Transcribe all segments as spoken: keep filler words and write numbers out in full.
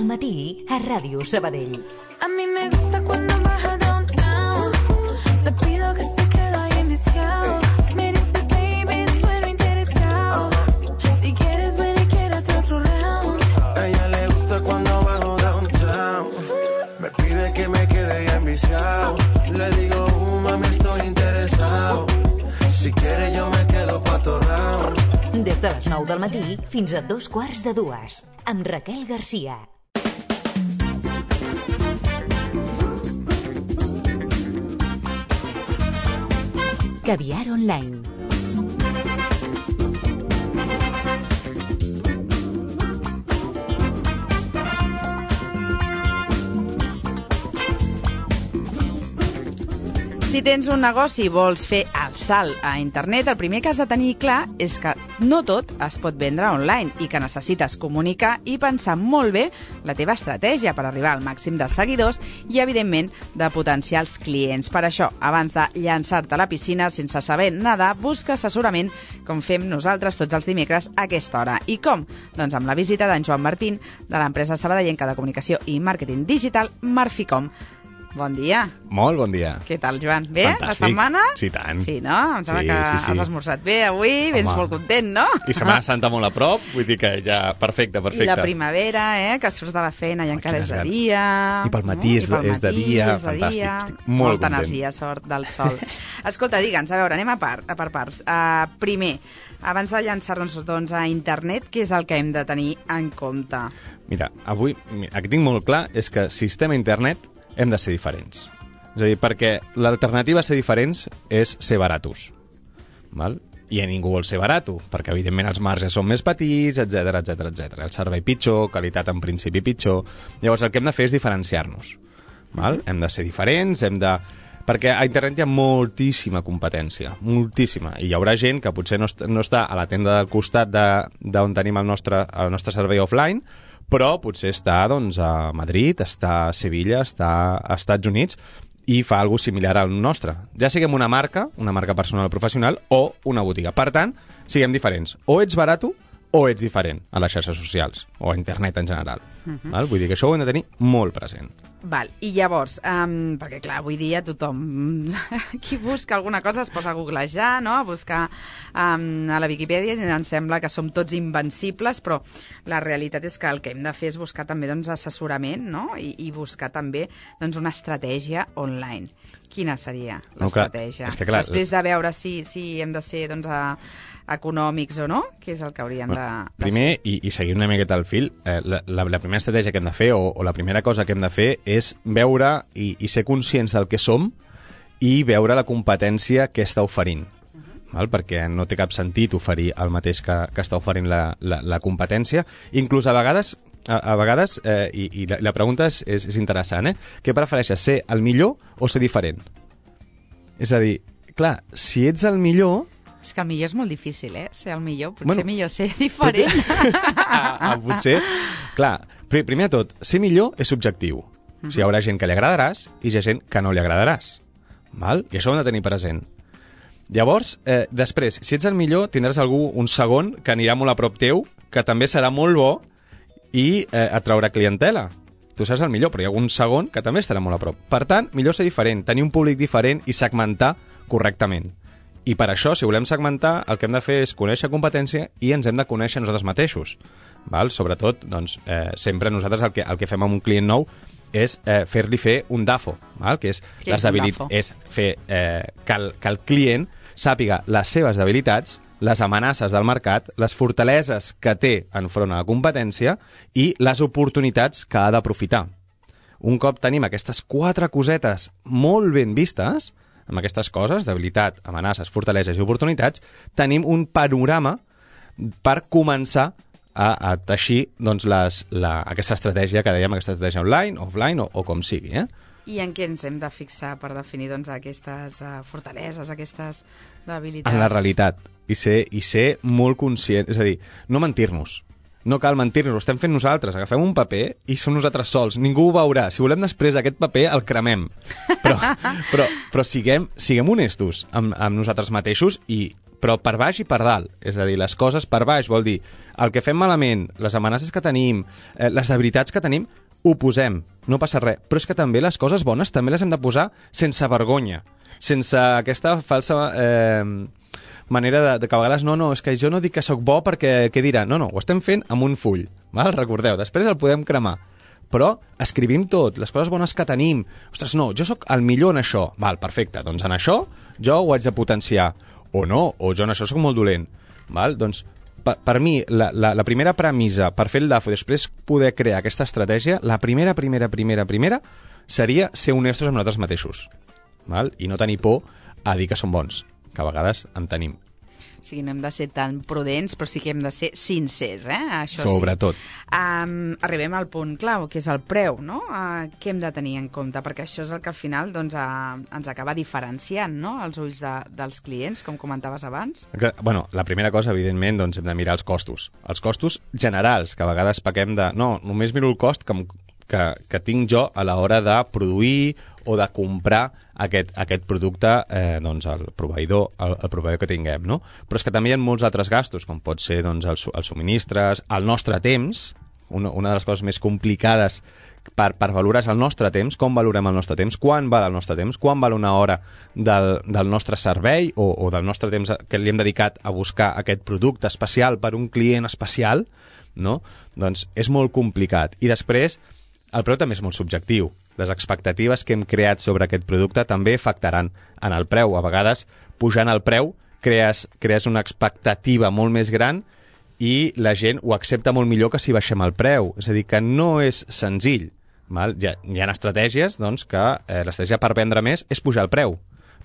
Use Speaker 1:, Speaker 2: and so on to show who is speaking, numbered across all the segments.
Speaker 1: del matí a Ràdio Sabadell.
Speaker 2: A mí me gusta cuando baja downtown. Le pido que se quede ahí enviciado. Me dice, baby, suelo interesado. Si quieres ven y quédate otro round.
Speaker 3: A ella le gusta cuando bajo downtown. Me pide que me quede ahí enviciado. Le digo, uh, mami, estoy interesado. Si quieres yo me quedo pa' otro round.
Speaker 1: Des de les nou del matí fins a dos quarts de dues, amb Raquel Garcia. Caviar Online.
Speaker 4: Si tens un negoci i vols fer el salt a internet, el primer que has de tenir clar és que no tot es pot vendre online i que necessites comunicar i pensar molt bé la teva estratègia per arribar al màxim de seguidors i, evidentment, de potencials clients. Per això, abans de llançar-te a la piscina sense saber nedar, busca assessorament com fem nosaltres tots els dimecres a aquesta hora. I com? Doncs amb la visita d'en Joan Martín, de l'empresa sabadellenca de comunicació i màrqueting digital Marficom. Bon dia.
Speaker 5: Molt bon dia.
Speaker 4: Què tal, Joan? Bé,
Speaker 5: Fantàstic.
Speaker 4: la setmana?
Speaker 5: Sí, tant.
Speaker 4: Sí, no? Em sembla
Speaker 5: Sí,
Speaker 4: que
Speaker 5: sí, sí.
Speaker 4: has esmorzat bé avui, vens
Speaker 5: Home.
Speaker 4: molt content, no?
Speaker 5: I Setmana Santa molt a prop, vull dir que ja... Perfecte, perfecte.
Speaker 4: I la primavera, eh? Que surts de la feina i encara és de
Speaker 5: ganes.
Speaker 4: dia.
Speaker 5: I pel matí és de-
Speaker 4: I pel
Speaker 5: és de
Speaker 4: matí
Speaker 5: dia,
Speaker 4: és de
Speaker 5: fantàstic.
Speaker 4: dia.
Speaker 5: Estic molt
Speaker 4: Molta
Speaker 5: content.
Speaker 4: energia, sort del sol. Escolta, digue'ns, a veure, anem a, part, a per parts. Uh, primer, abans de llançar-nos doncs, a internet, què és el que hem de tenir en compte?
Speaker 5: Mira, avui, el que tinc molt clar és que sistema internet hem de ser diferents. És a dir, perquè l'alternativa a ser diferents és ser baratos. Val? I a ningú vol ser barato, perquè evidentment els marges són més petits, etc etc etc. El servei pitjor, qualitat en principi pitjor. Llavors el que hem de fer és diferenciar-nos. Val? Hem de ser diferents, hem de... Perquè a internet hi ha moltíssima competència, moltíssima. I hi haurà gent que potser no, est no està a la tenda del costat d'on tenim el nostre, el nostre servei offline, però potser està doncs, a Madrid, està a Sevilla, està als Estats Units, i fa alguna cosa similar al nostre. Ja siguem una marca, una marca personal o professional, o una botiga. Per tant, siguem diferents. O ets barato o ets diferent a les xarxes socials, o a internet en general. Uh-huh. Val? Vull dir que això ho hem de tenir molt present.
Speaker 4: Val, i llavors, um, perquè clar, avui dia tothom qui busca alguna cosa es posa a googlejar, no? A buscar um, a la Viquipèdia, i ens sembla que som tots invencibles, però la realitat és que el que hem de fer és buscar també doncs, assessorament, no? I, i buscar també doncs, una estratègia online. Quina seria l'estratègia?
Speaker 5: No, és que, clar,
Speaker 4: després de veure si, si hem de ser doncs, a, econòmics o no, què és el que hauríem de, de
Speaker 5: Primer, i, i seguint una miqueta el fil, eh, la, la, la primera estratègia que hem de fer, o, o la primera cosa que hem de fer, és veure i, i ser conscients del que som i veure la competència que està oferint. Uh-huh. Val? Perquè no té cap sentit oferir el mateix que, que està oferint la, la, la competència. Inclús a vegades, a, a vegades eh, i, i la, la pregunta és, és, és interessant, eh? Què prefereixes, ser el millor o ser diferent? És a dir, clar, si ets el millor...
Speaker 4: És que el millor és molt difícil, eh? Ser el millor. Potser
Speaker 5: Bueno,
Speaker 4: millor ser diferent.
Speaker 5: ah, ah, potser... Clar, primer de tot, ser millor és subjectiu. Uh-huh. O sigui, hi haurà gent que li agradaràs i hi ha gent que no li agradaràs. Val? I això ho hem de tenir present. Llavors, eh, després, si ets el millor, tindràs algú, un segon, que anirà molt a prop teu, que també serà molt bo i eh, et traurà clientela. Tu seràs el millor, però hi ha un segon que també estarà molt a prop. Per tant, millor ser diferent, tenir un públic diferent i segmentar correctament. I per això, si volem segmentar, el que hem de fer és conèixer competència i ens hem de conèixer nosaltres mateixos. Val? Sobretot, doncs, eh, sempre nosaltres el que, el que fem amb un client nou és eh, fer-li fer un D A F O, val? Que és,
Speaker 4: Què
Speaker 5: les
Speaker 4: és un
Speaker 5: debilit-
Speaker 4: D A F O?
Speaker 5: és fer eh, que, el, que el client sàpiga les seves debilitats, les amenaces del mercat, les fortaleses que té enfront a la competència i les oportunitats que ha d'aprofitar. Un cop tenim aquestes quatre cosetes molt ben vistes, amb aquestes coses, debilitat, amenaces, fortaleses i oportunitats, tenim un panorama per començar a, a teixir doncs, les, la, aquesta estratègia que dèiem, aquesta estratègia online, offline o, o com sigui. Eh?
Speaker 4: I en què ens hem de fixar per definir doncs, aquestes uh, fortaleses, aquestes debilitats?
Speaker 5: En la realitat. I ser, I ser molt conscient, és a dir, no mentir-nos. No cal mentir-nos, ho estem fent nosaltres. Agafem un paper i som nosaltres sols. Ningú ho veurà. Si volem després aquest paper, el cremem. Però, però, però siguem, siguem honestos amb, amb nosaltres mateixos, i, però per baix i per dalt. És a dir, les coses per baix vol dir el que fem malament, les amenaces que tenim, eh, les debilitats que tenim, ho posem. No passa res. Però és que també les coses bones també les hem de posar sense vergonya. Sense aquesta falsa... Eh, manera de, de que a vegades no, no, és que jo no dic que sóc bo perquè què dirà? No, no, ho estem fent amb un full, val? Recordeu, després el podem cremar. Però escrivim tot, les coses bones que tenim. Ostres, no, jo sóc el millor en això. Val, perfecte, doncs en això jo ho haig de potenciar. O no, o jo en això sóc molt dolent. Val? Doncs per, per mi, la, la, la primera premissa per fer el D A F o després poder crear aquesta estratègia, la primera, primera, primera, primera seria ser honestos amb nosaltres mateixos. Val? I no tenir por a dir que som bons, que a vegades en tenim.
Speaker 4: O sigui, no hem de ser tan prudents, però sí que hem de ser sincers, eh? Això
Speaker 5: Sobretot.
Speaker 4: Sí. Um, arribem al punt clau, que és el preu, no? Uh, què hem de tenir en compte? Perquè això és el que al final doncs, uh, ens acaba diferenciant, no?, als ulls de, dels clients, com comentaves abans.
Speaker 5: Bueno, la primera cosa, evidentment, doncs hem de mirar els costos. Els costos generals, que a vegades pequem de... No, només miro el cost que, que, que tinc jo a l'hora de produir o de comprar aquest, aquest producte, eh, doncs, el proveïdor, el, el proveïdor que tinguem, no? Però és que també hi ha molts altres gastos, com pot ser doncs, els, els subministres, el nostre temps. Una, una de les coses més complicades per, per valorar és el nostre temps, com valorem el nostre temps, quan val el nostre temps, quan val una hora del, del nostre servei o, o del nostre temps que li hem dedicat a buscar aquest producte especial per un client especial, no? Doncs és molt complicat. I després, el preu també és molt subjectiu. Les expectatives que hem creat sobre aquest producte també afectaran en el preu. A vegades, pujant el preu, crees, crees una expectativa molt més gran i la gent ho accepta molt millor que si baixem el preu. És a dir, que no és senzill. Val? Hi ha, hi ha estratègies doncs, que eh, l'estratègia per vendre més és pujar el preu.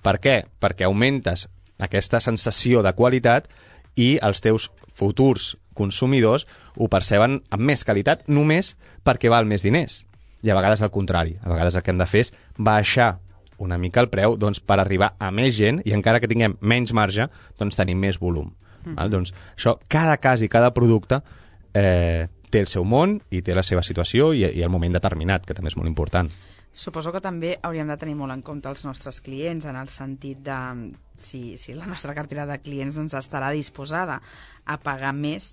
Speaker 5: Per què? Perquè augmentes aquesta sensació de qualitat i els teus futurs consumidors ho perceben amb més qualitat només perquè val més diners. I a vegades al contrari. A vegades el que hem de fer és baixar una mica el preu doncs, per arribar a més gent i encara que tinguem menys marge, doncs tenim més volum. Mm. Val? Doncs això, cada cas i cada producte eh, té el seu món i té la seva situació i, i el moment determinat, que també és molt important.
Speaker 4: Suposo que també hauríem de tenir molt en compte els nostres clients, en el sentit de si, si la nostra cartera de clients doncs, estarà disposada a pagar més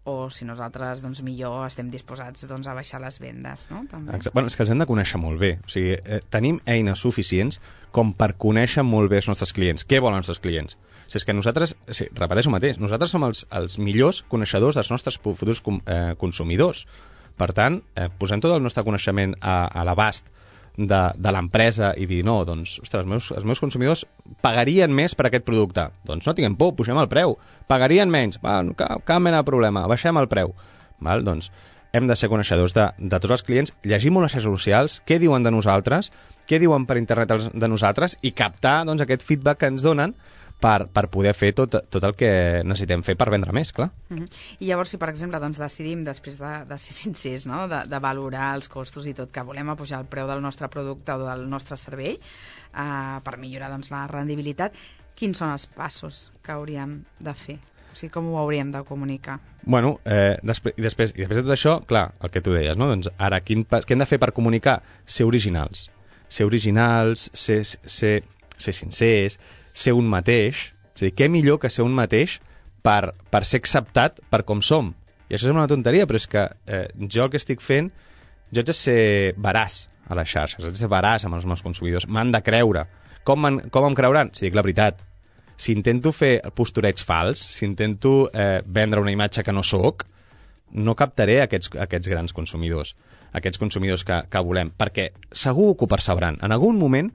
Speaker 4: o si nosaltres, doncs, millor estem disposats doncs, a baixar les vendes, no? També.
Speaker 5: Bueno, és que els hem de conèixer molt bé. O sigui, eh, tenim eines suficients com per conèixer molt bé els nostres clients. Què volen els nostres clients? O sigui, és que nosaltres, sí, repeteixo mateix, nosaltres som els, els millors coneixedors dels nostres futurs eh, consumidors. Per tant, eh, posem tot el nostre coneixement a, a l'abast de, de l'empresa i dir, no, doncs, ostres, els meus, els meus consumidors pagarien més per aquest producte. Doncs no tinguem por, pugem el preu. Pagarien menys, va, cap, cap mena de problema, baixem el preu. Val? Doncs hem de ser coneixedors de, de tots els clients, llegir molt les xarxes socials, què diuen de nosaltres, què diuen per internet de nosaltres i captar doncs, aquest feedback que ens donen per, per poder fer tot, tot el que necessitem fer per vendre més, clar.
Speaker 4: Uh-huh. I llavors, si per exemple doncs, decidim, després de, de ser sincers, no? de, de valorar els costos i tot, que volem apujar el preu del nostre producte o del nostre servei uh, per millorar doncs, la rendibilitat, quins són els passos que hauríem de fer? O sigui, com ho hauríem de comunicar?
Speaker 5: Bueno, eh, després, i, després, i després de tot això, clar, el que tu deies, no? Doncs ara, quin, què hem de fer per comunicar? Ser originals. Ser originals, ser, ser, ser sincers, ser un mateix. És a dir, què millor que ser un mateix per, per ser acceptat per com som? I això sembla una tonteria, però és que eh, jo el que estic fent, jo haig de ser veraç a les xarxes, haig de ser veraç amb els meus consumidors, m'han de creure. Com, com em creuran? Si dic la veritat. Si intento fer el postureig fals, si intento eh, vendre una imatge que no sóc, no captaré aquests, aquests grans consumidors, aquests consumidors que, que volem, perquè segur que ho percebran. En algun moment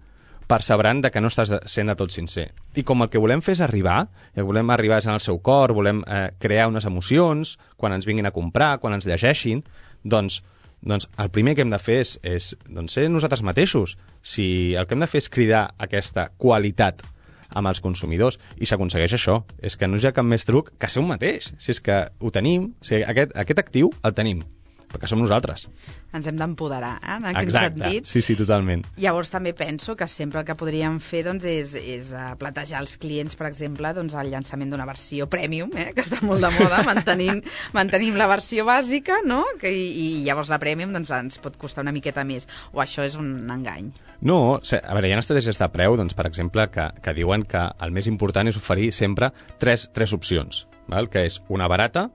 Speaker 5: percebran de que no estàs sent de tot sincer. I com el que volem fer és arribar, i volem arribar en el seu cor, volem eh, crear unes emocions quan ens vinguin a comprar, quan ens llegeixin, doncs, doncs el primer que hem de fer és, és doncs, ser nosaltres mateixos. Si el que hem de fer és cridar aquesta qualitat amb els consumidors, i s'aconsegueix això. És que no hi ha cap més truc que ser un mateix. Si és que ho tenim, o sigui, aquest, aquest actiu el tenim. perquè som nosaltres.
Speaker 4: Ens hem d'empoderar, eh, en aquest
Speaker 5: Exacte.
Speaker 4: sentit.
Speaker 5: Sí, sí, totalment.
Speaker 4: Llavors també penso que sempre el que podríem fer doncs, és, és uh, plantejar als clients, per exemple, doncs, el llançament d'una versió premium, eh, que està molt de moda, mantenint, mantenim la versió bàsica, no? Que, i, I llavors la premium doncs, ens pot costar una miqueta més. O això és un engany?
Speaker 5: No, a veure, hi ha estratègies de preu, doncs, per exemple, que, que diuen que el més important és oferir sempre tres, tres opcions, val? Que és una barata,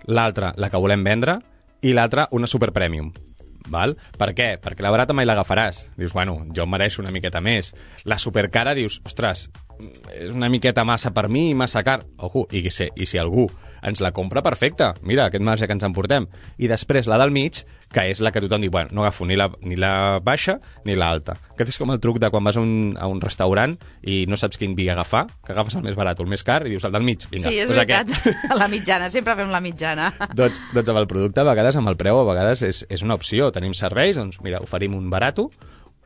Speaker 5: l'altra la que volem vendre i l'altra una super premium. Val? Per què? Perquè la barata mai l'agafaràs. Dius, bueno, jo em mereixo una miqueta més. La supercara dius, ostres, és una miqueta massa per mi, massa car. Ojo, i si, i si algú ens la compra, perfecte. Mira, aquest marge que ens emportem. I després la del mig, que és la que tothom diu, bueno, no agafo ni la, ni la baixa ni l'alta. Aquest és com el truc de quan vas a un, a un restaurant i no saps quin vi agafar, que agafes el més barat o el més car i dius el del mig. Vinga,
Speaker 4: sí, és
Speaker 5: pues
Speaker 4: veritat.
Speaker 5: Aquest.
Speaker 4: A la mitjana, sempre fem la mitjana.
Speaker 5: doncs, doncs amb el producte, a vegades, amb el preu, a vegades és, és una opció. Tenim serveis, doncs mira, oferim un barato,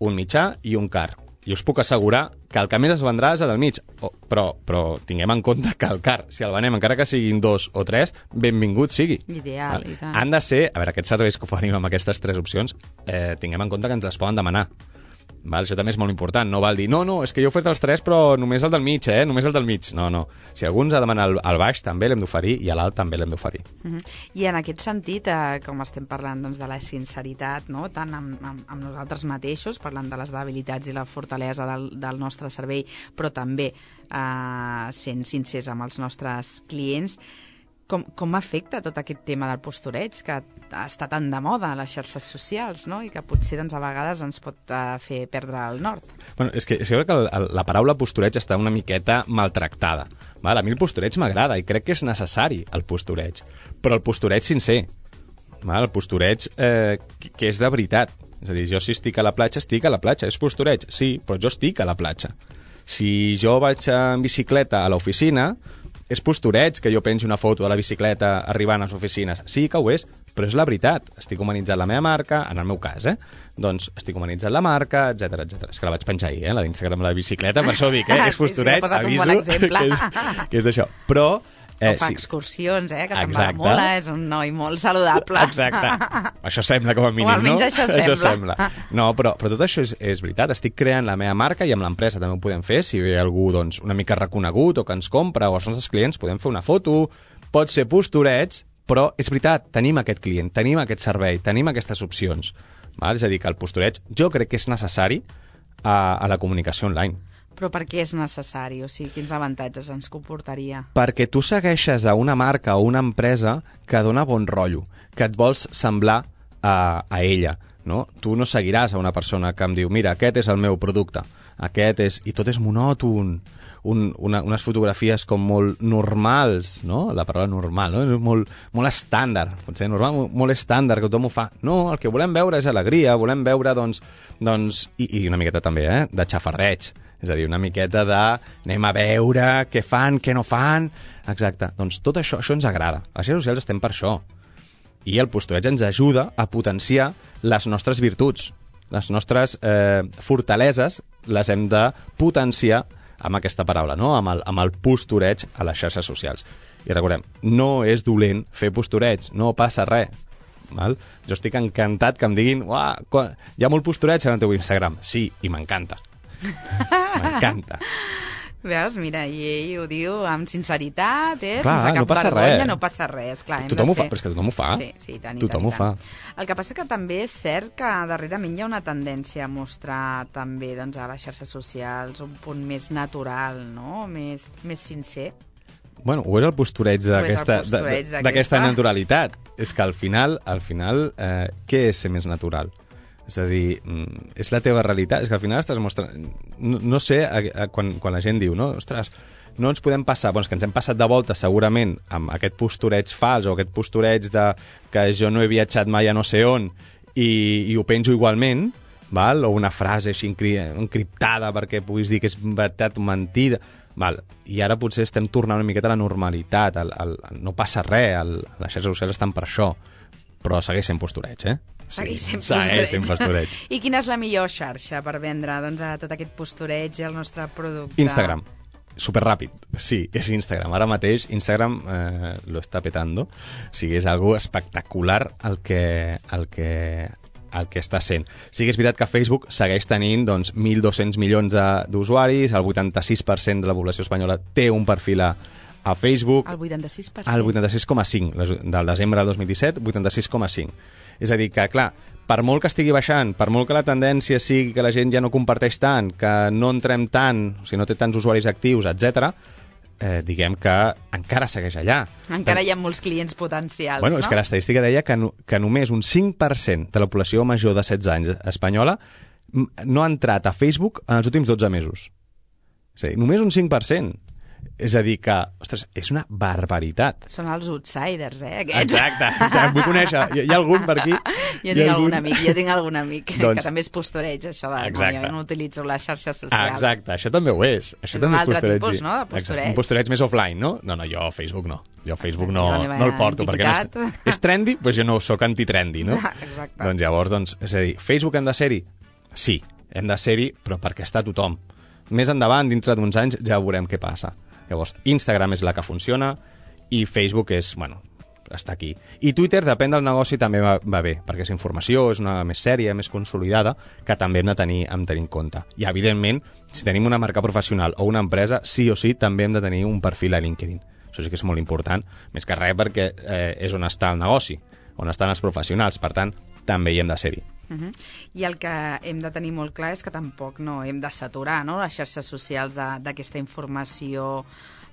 Speaker 5: un mitjà i un car. I us puc assegurar que el que més es vendrà és el del mig. Oh, però, però tinguem en compte que el car, si el venem, encara que siguin dos o tres, benvingut sigui.
Speaker 4: Ideal, i tant.
Speaker 5: Han de ser, a veure, aquests serveis que oferim amb aquestes tres opcions, eh, tinguem en compte que ens les poden demanar. Val? Això també és molt important. No val dir, no, no, és que jo he ofert els tres, però només el del mig, eh? Només el del mig. No, no. Si algú ens ha de demanar el, el baix, també l'hem d'oferir, i a l'alt també l'hem d'oferir.
Speaker 4: Uh -huh. I en aquest sentit, eh, com estem parlant doncs, de la sinceritat, no? Tant amb, amb, amb nosaltres mateixos, parlant de les debilitats i la fortalesa del, del nostre servei, però també eh, sent sincers amb els nostres clients, Com, com afecta tot aquest tema del postureig, que està tan de moda a les xarxes socials, no? I que potser doncs, a vegades ens pot uh, fer perdre el nord?
Speaker 5: Bueno, és que, és que el, el, la paraula postureig està una miqueta maltractada. Val? A mi el postureig m'agrada i crec que és necessari el postureig, però el postureig sincer, val? El postureig eh, que, que és de veritat. És a dir, jo si estic a la platja, estic a la platja. És postureig? Sí, però jo estic a la platja. Si jo vaig en bicicleta a l'oficina, és postureig que jo pengi una foto de la bicicleta arribant a les oficines. Sí que ho és, però és la veritat. Estic humanitzant la meva marca, en el meu cas, eh? Doncs estic humanitzant la marca, etcètera, etcètera. És que la vaig penjar ahir, eh? La d'Instagram de la bicicleta, per això dic, eh? És postureig,
Speaker 4: sí, sí,
Speaker 5: aviso,
Speaker 4: un bon exemple.
Speaker 5: que és, que és d'això. Però...
Speaker 4: Eh, o fa sí. excursions, eh? Que se'n va molt, és un noi molt saludable.
Speaker 5: Exacte. Això sembla, com a mínim,
Speaker 4: o almenys
Speaker 5: no?
Speaker 4: això sembla.
Speaker 5: Això sembla. No, però, però tot això és, és veritat. Estic creant la meva marca i amb l'empresa també ho podem fer. Si hi ha algú doncs, una mica reconegut o que ens compra o els nostres clients, podem fer una foto. Pot ser postureig, però és veritat, tenim aquest client, tenim aquest servei, tenim aquestes opcions. Val? És a dir, que el postureig jo crec que és necessari a, a la comunicació online.
Speaker 4: Però per què és necessari? O sigui, quins avantatges ens comportaria?
Speaker 5: Perquè tu segueixes a una marca o una empresa que dona bon rotllo, que et vols semblar a, a ella, no? Tu no seguiràs a una persona que em diu, mira, aquest és el meu producte, aquest és... I tot és monòton, un, una, unes fotografies com molt normals, no? La paraula normal, no? És molt, molt estàndard, potser normal, molt, molt estàndard, que tothom ho fa. No, el que volem veure és alegria, volem veure, doncs... doncs i, i una miqueta també, eh? De xafardeig. És a dir, una miqueta de anem a veure què fan, què no fan... Exacte. Doncs tot això, això ens agrada. A les xarxes socials estem per això. I el postureig ens ajuda a potenciar les nostres virtuts. Les nostres eh, fortaleses les hem de potenciar amb aquesta paraula, no? Amb el, amb el postureig a les xarxes socials. I recordem, no és dolent fer postureig, no passa res. Val? Jo estic encantat que em diguin uah, hi ha molt postureig en el teu Instagram. Sí, i m'encanta. M'encanta.
Speaker 4: Veus, mira, i ell ho diu amb sinceritat, eh?
Speaker 5: Clar,
Speaker 4: sense cap
Speaker 5: no passa
Speaker 4: vergonya,
Speaker 5: res.
Speaker 4: no passa res. Clar,
Speaker 5: tothom ho
Speaker 4: fer...
Speaker 5: fa, però és que tothom ho fa.
Speaker 4: Sí, sí, tant, i
Speaker 5: tothom
Speaker 4: tant,
Speaker 5: ho fa.
Speaker 4: El que passa que també és cert que darrerament hi ha una tendència a mostrar també doncs, a les xarxes socials un punt més natural, no? Més, més sincer.
Speaker 5: Bueno, o és el postureig d'aquesta naturalitat. És que al final, al final eh, què és ser més natural? És a dir, és la teva realitat. És que al final estàs mostrant... No, no sé, a, a, quan, quan la gent diu, no, ostres, no ens podem passar... Bueno, és que ens hem passat de volta segurament amb aquest postureig fals o aquest postureig de que jo no he viatjat mai a no sé on i, i ho penjo igualment, val? O una frase així encriptada perquè puguis dir que és veritat o mentida... Val. I ara potser estem tornant una miqueta a la normalitat, el, el, el, no passa res, el, les xarxes socials estan per això, però segueix sent postureig, eh?
Speaker 4: Segueix sent
Speaker 5: sí,
Speaker 4: postureig.
Speaker 5: Segueix sent postureig.
Speaker 4: I quina és la millor xarxa per vendre doncs, a tot aquest postureig i el nostre producte?
Speaker 5: Instagram. superràpid. Sí, és Instagram. Ara mateix Instagram eh, lo està petando. O sigui, és algo espectacular el que, el que, el que està sent. Sí que és veritat que Facebook segueix tenint doncs, mil dos-cents milions d'usuaris, el vuitanta-sis per cent de la població espanyola té un perfil a, a Facebook.
Speaker 4: El vuitanta-sis per cent?
Speaker 5: El vuitanta-sis coma cinc, del desembre del dos mil disset, vuitanta-sis coma cinc. És a dir que, clar, per molt que estigui baixant, per molt que la tendència sigui que la gent ja no comparteix tant, que no entrem tant, o sigui, no té tants usuaris actius, etcètera, eh, diguem que encara segueix allà.
Speaker 4: Encara hi ha molts clients potencials,
Speaker 5: bueno,
Speaker 4: no?
Speaker 5: És que l'estadística deia que, no, que només un cinc per cent de la població major de setze anys espanyola no ha entrat a Facebook en els últims dotze mesos. És a dir, només un cinc per cent. És a dir que, ostres, és una barbaritat.
Speaker 4: Són els outsiders, eh, aquests.
Speaker 5: Exacte, exacte. Vull conèixer. Hi, hi ha algun per aquí?
Speaker 4: Jo tinc algun amic, jo tinc algun amic
Speaker 5: doncs...
Speaker 4: que també és postureig, això de no, jo no utilitzo les xarxes socials.
Speaker 5: Exacte, això també ho és. Això
Speaker 4: és
Speaker 5: també
Speaker 4: un
Speaker 5: és
Speaker 4: altre
Speaker 5: postureig.
Speaker 4: tipus, no?, de postureig.
Speaker 5: Exacte. Un postureig més offline, no? No, no, jo Facebook no. Jo Facebook no,
Speaker 4: no
Speaker 5: el porto, perquè no és, és trendy, doncs jo no sóc anti-trendy, no?
Speaker 4: Exacte.
Speaker 5: Doncs llavors, doncs, és a dir, Facebook hem de ser-hi? Sí, hem de ser-hi, però perquè està tothom. Més endavant, dintre d'uns anys, ja veurem què passa. Llavors, Instagram és la que funciona i Facebook és, bueno, està aquí. I Twitter, depèn del negoci, també va, va bé, perquè és informació, és una més sèria, més consolidada, que també hem de tenir, hem de tenir en compte. I, evidentment, si tenim una marca professional o una empresa, sí o sí, també hem de tenir un perfil a LinkedIn. Això sí que és molt important, més que res perquè eh, és on està el negoci, on estan els professionals, per tant, també hi hem de ser-hi.
Speaker 4: Uh -huh. I el que hem de tenir molt clar és que tampoc no hem de saturar, no?, les xarxes socials d'aquesta informació,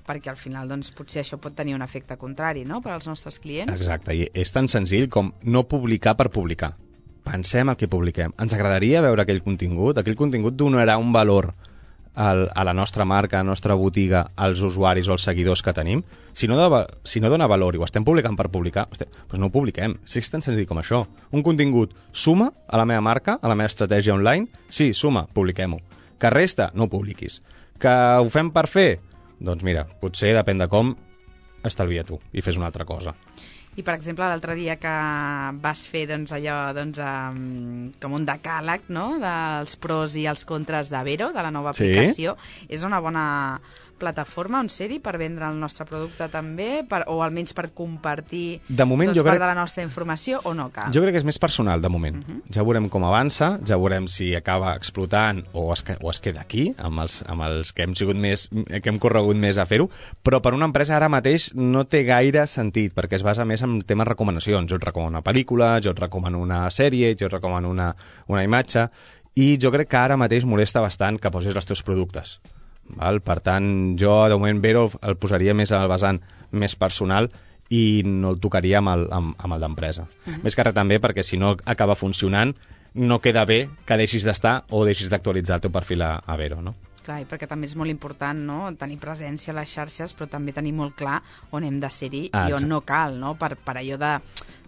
Speaker 4: perquè al final doncs, potser això pot tenir un efecte contrari, no?, per als nostres clients.
Speaker 5: Exacte, i és tan senzill com no publicar per publicar. Pensem el que publiquem. Ens agradaria veure aquell contingut? Aquell contingut donarà un valor al, a la nostra marca, a la nostra botiga, als usuaris o als seguidors que tenim? Si no, de, si no dona valor i ho estem publicant per publicar, hosti, doncs no ho publiquem. Si és tan senzill com això. Un contingut suma a la meva marca, a la meva estratègia online? Sí, suma, publiquem-ho. Que resta? No ho publiquis. Que ho fem per fer? Doncs mira, potser depèn de com, estalvia tu i fes una altra cosa.
Speaker 4: I, per exemple, l'altre dia que vas fer doncs, allò, doncs, um, com un decàleg, no?, dels pros i els contres de Vero, de la nova aplicació, sí? És una bona plataforma on ser-hi per vendre el nostre producte també, per, o almenys per compartir
Speaker 5: de moment,
Speaker 4: doncs,
Speaker 5: jo
Speaker 4: part
Speaker 5: crec...
Speaker 4: de la nostra informació, o no cal?
Speaker 5: Jo crec que és més personal, de moment. Uh -huh. Ja veurem com avança, ja veurem si acaba explotant o es, o es queda aquí, amb els, amb els que hem sigut més, que hem corregut més a fer-ho, però per una empresa ara mateix no té gaire sentit, perquè es basa més en temes recomanacions. Jo et recomano una pel·lícula, jo et recomano una sèrie, jo et recomano una, una imatge, i jo crec que ara mateix molesta bastant que posis els teus productes. Val? Per tant, jo de moment Vero el posaria més al vessant més personal i no el tocaria amb el, amb, amb el d'empresa. Uh -huh. Més que res també perquè si no acaba funcionant no queda bé que deixis d'estar o deixis d'actualitzar el teu perfil a, a Vero, no?
Speaker 4: Clar, perquè també és molt important, no?, tenir presència a les xarxes, però també tenir molt clar on hem de ser-hi ah, i on no cal, no?, per, per allò de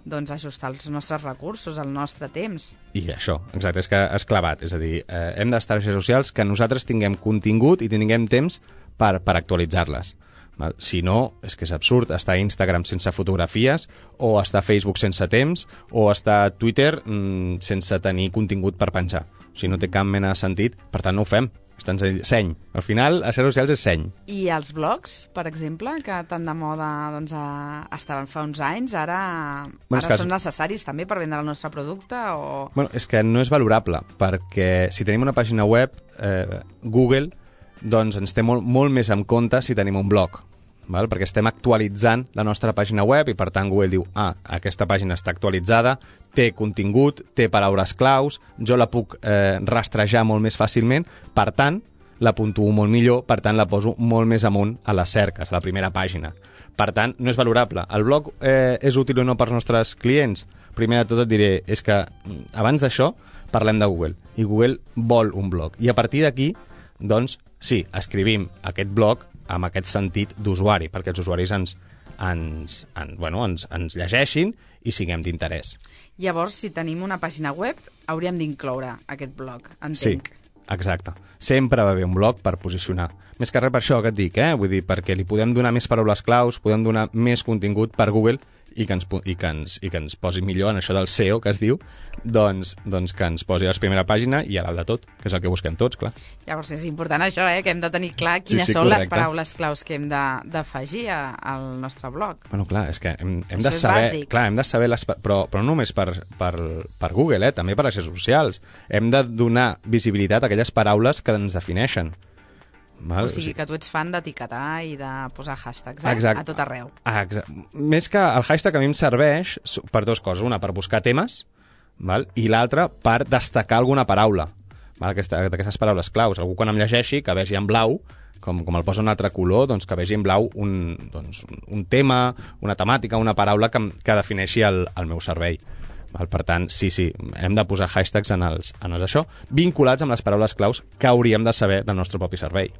Speaker 4: doncs, ajustar els nostres recursos, el nostre temps.
Speaker 5: I això, exacte, és que és clavat. És a dir, eh, hem d'estar a xarxes socials que nosaltres tinguem contingut i tinguem temps per, per actualitzar-les. Val? Si no, és que és absurd estar a Instagram sense fotografies, o estar a Facebook sense temps, o estar a Twitter mmm, sense tenir contingut per penjar. O sigui, no té cap mena de sentit, per tant no ho fem. És tan seny. Al final, a xarxes socials és seny.
Speaker 4: I els blogs, per exemple, que tan de moda doncs, a... estaven fa uns anys, ara,
Speaker 5: bueno,
Speaker 4: ara
Speaker 5: que...
Speaker 4: són necessaris també per vendre el nostre producte? O...
Speaker 5: Bueno, és que no és valorable, perquè si tenim una pàgina web, eh, Google doncs ens té molt, molt més en compte si tenim un blog. Val? Perquè estem actualitzant la nostra pàgina web i, per tant, Google diu, ah, aquesta pàgina està actualitzada, té contingut, té paraules claus, jo la puc eh, rastrejar molt més fàcilment, per tant, la puntuo molt millor, per tant, la poso molt més amunt a les cerques, a la primera pàgina. Per tant, no és valorable. El blog eh, és útil o no per als nostres clients? Primer de tot et diré, és que abans d'això parlem de Google, i Google vol un blog. I a partir d'aquí, doncs, sí, escrivim aquest blog amb aquest sentit d'usuari, perquè els usuaris ens, ens, en, bueno, ens, ens llegeixin i siguem d'interès.
Speaker 4: Llavors, si tenim una pàgina web, hauríem d'incloure aquest blog, entenc.
Speaker 5: Sí, exacte. Sempre va bé un blog per posicionar. Més que res per això que et dic, eh? Vull dir, perquè li podem donar més paraules claus, podem donar més contingut per Google i que ens, pu- i que ens, i que ens posi millor en això del S E O, que es diu, doncs, doncs que ens posi a la primera pàgina i a dalt de tot, que és el que busquem tots, clar.
Speaker 4: Llavors és important això, eh? Que hem de tenir clar quines
Speaker 5: Sí, sí,
Speaker 4: són les
Speaker 5: correcte.
Speaker 4: paraules claus que hem de- d'afegir a- al nostre blog.
Speaker 5: Bueno, clar, és que hem, hem
Speaker 4: Això
Speaker 5: de
Speaker 4: és
Speaker 5: saber...
Speaker 4: bàsic.
Speaker 5: Clar, hem de saber... Les, pa- però, però no només per, per, per Google, eh? També per les xarxes socials. Hem de donar visibilitat a aquelles paraules que ens defineixen. Val?
Speaker 4: O sigui que tu ets fan d'etiquetar i de posar hashtags, eh?
Speaker 5: Exacte.
Speaker 4: A tot arreu.
Speaker 5: Ah, exacte. Més que el hashtag a mi em serveix su- per dues coses. Una, per buscar temes, val? I l'altra, per destacar alguna paraula. Val? Aquesta, d'aquestes paraules claus. Algú quan em llegeixi, que vegi en blau, com, com el posa un altre color, doncs que vegi en blau un, doncs, un, un tema, una temàtica, una paraula que, em- que defineixi el, el meu servei. Val? Per tant, sí, sí, hem de posar hashtags en els, en els això, vinculats amb les paraules claus que hauríem de saber del nostre propi servei.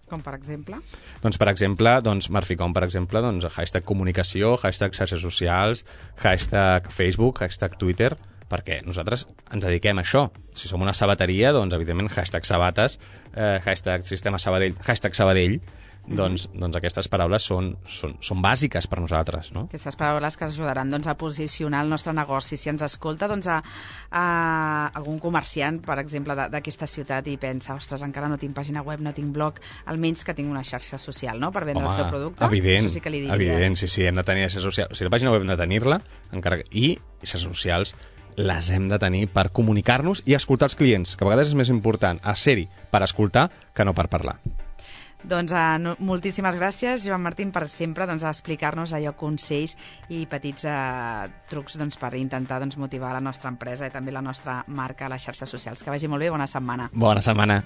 Speaker 4: Com per exemple?
Speaker 5: Doncs, per exemple, doncs, Marficom, per exemple, doncs, hashtag comunicació, hashtag xarxes socials, hashtag Facebook, hashtag Twitter, perquè nosaltres ens dediquem a això. Si som una sabateria, doncs, evidentment, hashtag sabates, eh, hashtag sistema Sabadell, hashtag Sabadell, doncs, doncs aquestes paraules són, són, són bàsiques per nosaltres, no?
Speaker 4: Aquestes paraules que ens ajudaran doncs, a posicionar el nostre negoci. Si ens escolta doncs, a, a algun comerciant, per exemple, de- d'aquesta ciutat i pensa, ostres, encara no tinc pàgina web, no tinc blog, almenys que tinc una xarxa social, no?, per vendre el seu producte.
Speaker 5: evident,
Speaker 4: Això sí que li diries.
Speaker 5: evident, sí, sí, hem de tenir xarxes socials. O sigui, la pàgina web hem de tenir-la, encara que... i xarxes socials les hem de tenir per comunicar-nos i escoltar els clients, que a vegades és més important a ser-hi per escoltar que no per parlar.
Speaker 4: Doncs uh, no, moltíssimes gràcies, Joan Martín, per sempre doncs, a explicar-nos allò consells i petits uh, trucs doncs, per intentar doncs, motivar la nostra empresa i també la nostra marca a les xarxes socials. Que vagi molt bé, bona setmana.
Speaker 5: Bona setmana.